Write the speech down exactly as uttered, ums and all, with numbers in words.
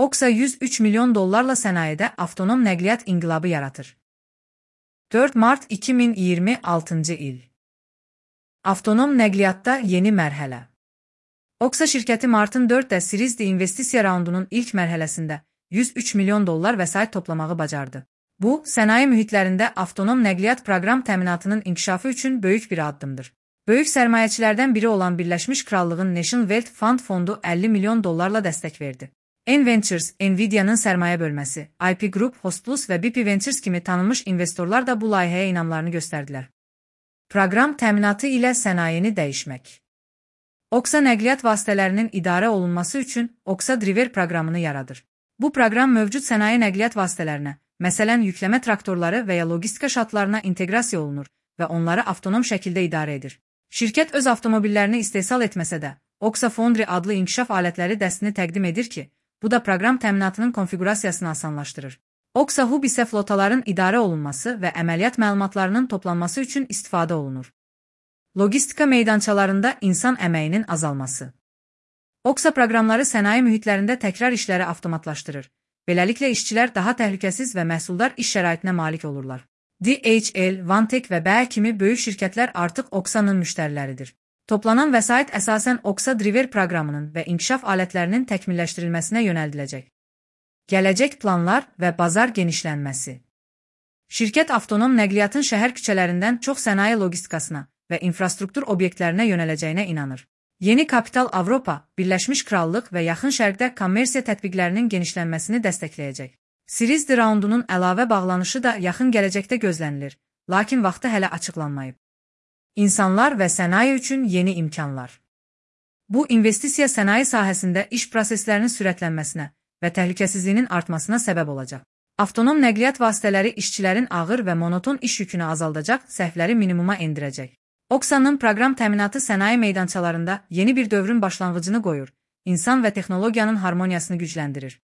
Oksa yüz üç milyon dollarla sənayede avtonom nəqliyyat inqilabı yaratır. dörd mart iki min iyirmi altıncı il. Avtonom nəqliyyatda yeni mərhələ. Oksa şirkəti Martın dörddə Series D investisiya raundunun ilk mərhələsində yüz üç milyon dollar vəsait toplamağı bacardı. Bu, sənaye mühitlərində avtonom nəqliyyat proqram təminatının inkişafı üçün böyük bir addımdır. Böyük sərmayəçilərdən biri olan Birləşmiş Krallığın National Wealth Fund fondu əlli milyon dollarla dəstək verdi. N Ventures, Nvidia'nın sərmayə bölməsi, I P Group, Hostplus və B P Ventures kimi tanınmış investorlar da bu layihəyə inamlarını göstərdilər. Proqram təminatı ilə sənayeni dəyişmək. Oksa nəqliyyat vasitələrinin idarə olunması üçün Oksa Driver proqramını yaradır. Bu proqram mövcud sənaye nəqliyyat vasitələrinə, məsələn yükləmə traktorları və ya logistika şatlarına inteqrasiya olunur və onları avtonom şəkildə idarə edir. Şirkət öz avtomobillərini istehsal etməsə də, Oksa Foundry adlı inkişaf alətləri dəstini təqdim edir ki, bu da proqram təminatının konfigurasiyasını asanlaşdırır. Oksa Hub isə flotaların idarə olunması və əməliyyat məlumatlarının toplanması üçün istifadə olunur. Logistika meydançalarında insan əməyinin azalması. Oksa proqramları sənaye mühitlərində təkrar işləri avtomatlaşdırır. Beləliklə işçilər daha təhlükəsiz və məhsuldar iş şəraitinə malik olurlar. D H L, Vantek və B E kimi böyük şirkətlər artıq Oksa'nın müştəriləridir. Toplanan vəsait əsasən Oksa Driver proqramının və inkişaf alətlərinin təkmilləşdirilməsinə yönəldiləcək. Gələcək planlar və bazar genişlənməsi. Şirkət avtonom nəqliyyatın şəhər küçələrindən çox sənaye logistikasına və infrastruktur obyektlərinə yönələcəyinə inanır. Yeni kapital Avropa, Birləşmiş Krallıq və Yaxın Şərqdə kommersiya tətbiqlərinin genişlənməsini dəstəkləyəcək. Series D raundunun əlavə bağlanışı da yaxın gələcəkdə gözlənilir, lakin vaxtı hələ açıqlanmayıb. İnsanlar və sənaye üçün yeni imkanlar. Bu, investisiya sənaye sahəsində iş proseslərinin sürətlənməsinə və təhlükəsizliyinin artmasına səbəb olacaq. Avtonom nəqliyyat vasitələri işçilərin ağır və monoton iş yükünü azaldacaq, səhvləri minimuma endirəcək. Oksa'nın proqram təminatı sənaye meydançalarında yeni bir dövrün başlanğıcını qoyur, insan və texnologiyanın harmoniyasını gücləndirir.